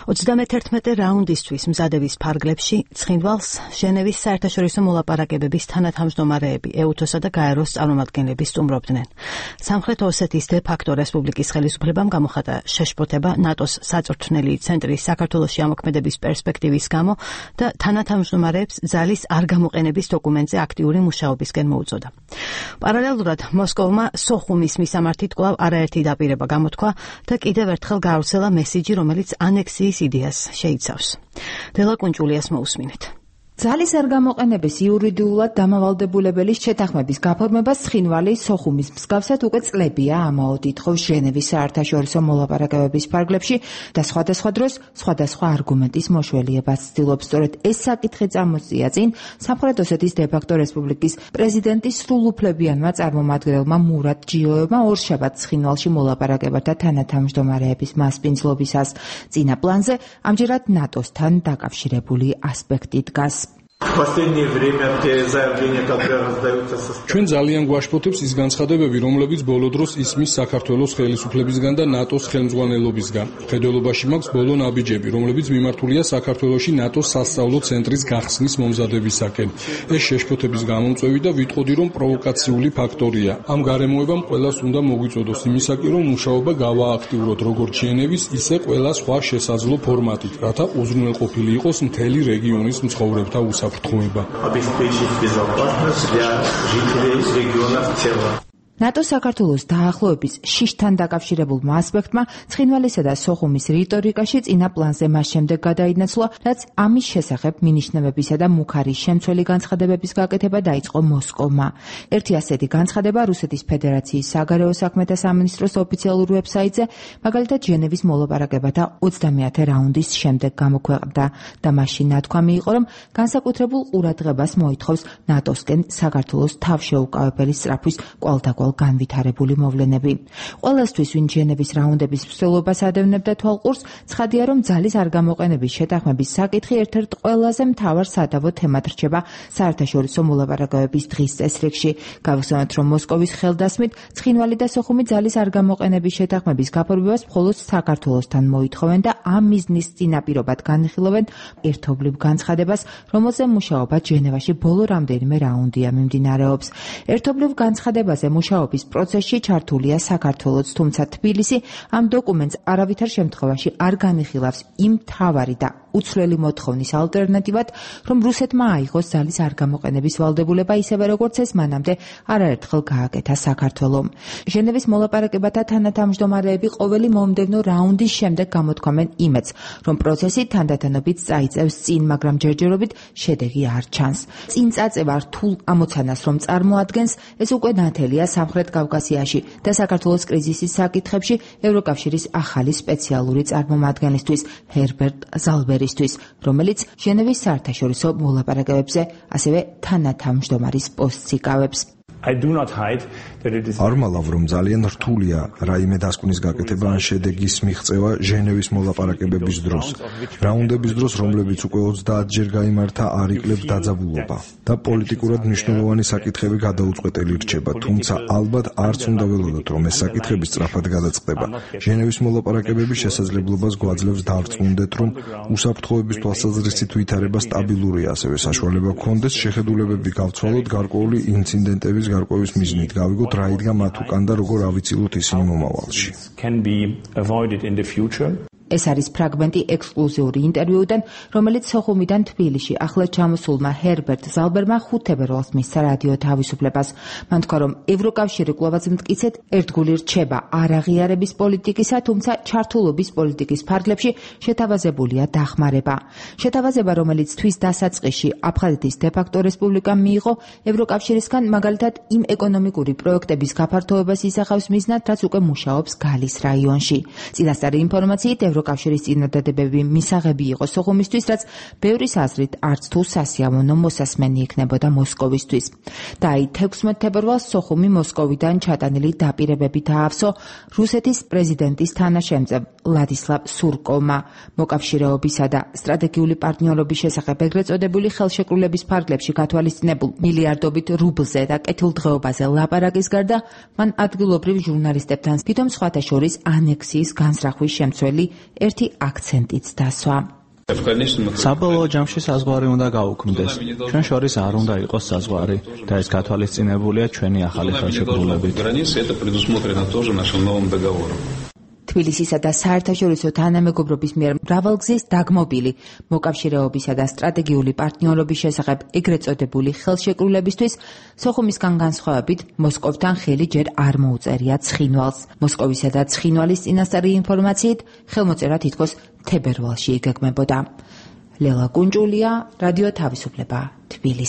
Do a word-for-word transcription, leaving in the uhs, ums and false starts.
ოცდამეთერთმეტე რაუნდისთვის მზადების ფარგლებში ცხინვალს ჟენევის საერთაშორისო მოლაპარაკებების თანათავმჯდომარეები ეუთოსა და გაეროს წარმომადგენლები სტუმრობდნენ. სამხრეთ ოსეთის დე ფაქტო რესპუბლიკის ხელისუფლებამ გამოხატა შეშფოთება ნატოს საწვრთნელი ცენტრის საქართველოში ამოქმედების პერსპექტივის გამო და თანათავმჯდომარეებს ძალის არ გამოყენების დოკუმენტზე აქტიური მუშაობისკენ მოუწოდა. პარალელურად მოსკოვმა სოხუმის მისამართით კვლავ არაერთი დაპირება გამოთქვა და კიდევ ერთხელ გაავრცელა მესიჯი, რომელიც ანექსიის იდეას შეიცავს. დელა კუნჭულიას მოусმინეთ. ძალის არ გამოყენების იურიდიულად დამავალდებულების შეთანხმების გაფორმებას ცხინვალი სოხუმის მსგავსად უკვე წლებია ამაოდ ითხოვს ჟენევის საერთაშორისო მოლაპარაკებების ფარგლებში და სხვადასხვა დროს სხვადასხვა არგუმენტის მოშველიებას ცდილობს. სწორედ ეს საკითხი წამოსწია წინ სამხრეთ ოსეთის დე ფაქტო რესპუბლიკის პრეზიდენტის სრულუფლებიანმა წარმომადგენელმა მურატ ჯიოევმა ორშაბათს ცხინვალში მოლაპარაკებათა თანათავმჯდომარეების მასპინძლობისას. წინა პლანზე ამჯერად ნატოსთან დაკავშირებული ასპექტი დგას. ჩვენ ძალიან გვაშფოთებს ის განცხადებები, რომლებიც ბოლო დროს ისმის საქართველოს ხელისუფლებისგან და ნატოს ხელმძღვანელობისგან. მხედველობაში მაქვს ბოლო ნაბიჯები, რომლებიც მიმართულია საქართველოში ნატოს სასწავლო ცენტრის გახსნის მომზადებისაკენ. ეს შეშფოთების გამომწვევი და ვიტყოდი, რომ პროვოკაციული ფაქტორია. ამ გარემოებამ ყველას უნდა მოგვიწოდოს იმისაკი, რომ მუშაობა გავააქტიუროთ როგორც ჟენევის, ისე ყველა სხვა შესაძლო ფორმატით, რათა უზრუნველყოფილი იყოს მთელი რეგიონის მცხოვრებთა უსაფრთხოება. обеспечить безопасность для жителей региона в целом. ნატოს საქართველოს დაახლოების შიშთან დაკავშირებულმა ასპექტმა ცხინვალისა და სოხუმის რიტორიკაში წინა პლანზე მას შემდეგ გადაინაცვლა, რაც ამის შესახებ მინიშნებებისა და მუქარის შემცველი განცხადებების გაკეთება დაიწყო მოსკოვმა. ერთი ასეთი განცხადება რუსეთის ფედერაციის საგარეო საქმეთა სამინისტროს ოფიციალურ ვებსაიტზე, მაგალითად ჟენევის მოლაპარაკებათა ოცდამეათე რაუნდის შემდეგ გამოქვეყნდა და მაშინ ნათქვამი იყო, რომ განსაკუთრებულ ყურადღებას მოითხოვს ნატოსკენ საქართველოს თავშეუკავებელი სწრაფვის კვალდაკვალ განვითარებული მოვლენები. ყველასთვის, ვინ ჟენევის რაუნდების მსვლელობას ადევნებდა თვალყურს, ცხადია, რომ ძალის არ გამოყენების შეთანხმების საკითხი ერთ-ერთ ყველაზე მთავარ სადავო თემად რჩება საერთაშორისო მოლაპარაკებების დღის წესრიგში. გავხსენოთ, რომ მოსკოვის ხელდასმით ცხინვალი და სოხუმი ძალის არ გამოყენების შეთანხმების გაფორმებას მხოლოდ საქართველოსთან მოითხოვენ და ამ მიზნის წინაპირობად განიხილავენ ერთობლივ განცხადებას, რომელზე მუშაობა ჟენევაში ბოლო რამდენიმე რაუნდია მიმდინარეობს. ერთობლივ განცხადებაზე მუშაობა პროცესში ჩართულია საქართველოც, თუმცა თბილისი ამ დოკუმენტს არავითარ შემთხვევაში არ განიხილავს იმ მთავარი და უცვლელი მოთხოვნის ალტერნატივად, რომ რუსეთმა აიღოს ძალის არ გამოყენების ვალდებულება, ისევე როგორც ეს მანამდე არაერთხელ გააკეთა საქართველომ. ჟენევის მოლაპარაკებათა თანათავმჯდომარეები ყოველი მომდევნო რაუნდის შემდეგ გამოთქვამენ იმედს, რომ პროცესი თანდათანობით წაიწევს წინ, მაგრამ ჯერჯერობით შედეგი არ ჩანს. წინ წაწევა რთულ ამოცანას რომ წარმოადგენს, ეს უკვე ნათელია სამხრეთ კავკასიაში და საქართველოს კრიზისის საკითხებში ევროკავშირის ახალი სპეციალური წარმომადგენლისთვის ჰერბერტ ზალბერისთვის, რომელიც ჟენევის საერთაშორისო მოლაპარაკებებზე ასევე თანათავმჯდომარის პოსტს იკავებს. არ მალავ, რომ ძალიან რთულია რაიმე დასკვნის გაკეთება ან შედეგის მიღწევა ჟენევის მოლაპარაკებების დროს. რაუნდების დროს, რომლებიც უკვე ოცდაათჯერ გაიმართა, არ იკლებს დაძაბულობა და პოლიტიკურად მნიშვნელოვანი საკითხები გადაუწყვეტელი რჩება, თუმცა ალბათ არც უნდა ველოდოთ, რომ ეს საკითხები სწრაფად გადაწყდება. ჟენევის მოლაპარაკებების შესაძლებლობას გვაძლევს დავრწმუნდეთ, რომ უსაფრთხოების თვალსაზრისით ვითარება სტაბილურია, ასევე საშუალება გქონდეს შეხედულებები გავცვალოთ გარკვეული ინციდენტების გარკვევის მიზნით, გავიგოთ რა იდგა მათ უკან და როგორ ავიცილოთ ისინი მომავალში. ეს არის ფრაგმენტი ექსკლუზიური ინტერვიუდან, რომელიც სოხუმიდან თბილისში ახლა ჩამოსულმა ჰერბერტ ზალბერმა ხუთ თებერვალს მისცა რადიო თავისუფლებას. მან თქვა, რომ ევროკავშირი კვლავაც მტკიცედ ერთგული რჩება არაღიარების პოლიტიკისა, თუმცა ჩართულობის პოლიტიკის ფარგლებში შეთავაზებულია დახმარება. შეთავაზება, რომელიც თვის დასაწყისში აფხაზეთის დე ფაქტო რესპუბლიკამ მიიღო ევროკავშირისგან, მაგალითად იმ ეკონომიკური პროექტების გაფართოებას ისახავს მიზნად, რაც უკვე მუშაობს გალის რაიონში. წინასწარი ინფორმაციით ევროკავშირის წინადადებები მისაღები იყო სოხუმისთვის, რაც ბევრის აზრით არც თუ სასიამოვნო მოსასმენი იქნებოდა მოსკოვისთვის. და აი თექვსმეტ თებერვალს სოხუმი მოსკოვიდან ჩატანილი დაპირებებით აავსო რუსეთის პრეზიდენტის თანაშემწებ ვლადისლავ სურკოვმა. მოკავშირეობისა და სტრატეგიული პარტნიორობის შესახებ ეგრეთ წოდებული ხელშეკრულების ფარგლებში გათვალისწინებულ მილიარდობით რუბლზე და კეთილდღეობაზე ლაპარაკის გარდა, მან ადგილობრივ ჟურნალისტებთან თვითონ სხვათა შორის ანექსიის განსრახვის შემცველი ერთი აქცენტიც დასვა. საბოლოო ჯამში საზღვარი უნდა გაუქმდეს. ჩვენ შორის არ უნდა იყოს საზღვარი და ეს გათვალისწინებულია ჩვენი ახალი ხელშეკრულებით. თბილისისა და საერთაშორისო თანამეგობრობის მიერ მრავალგზის დაგმობილი მოკავშირეობისა და სტრატეგიული პარტნიორობის შესახებ ეგრეთ წოდებული ხელშეკრულებისთვის სოხუმისგან განსხვავებით მოსკოვთან ხელი ჯერ არ მოუწერია ცხინვალს. მოსკოვისა და ცხინვალის წინასწარი ინფორმაციით ხელმოწერა თითქოს თებერვალში იგეგმებოდა. ლელა კუნჭულია, რადიო თავისუფლება, თბილისი.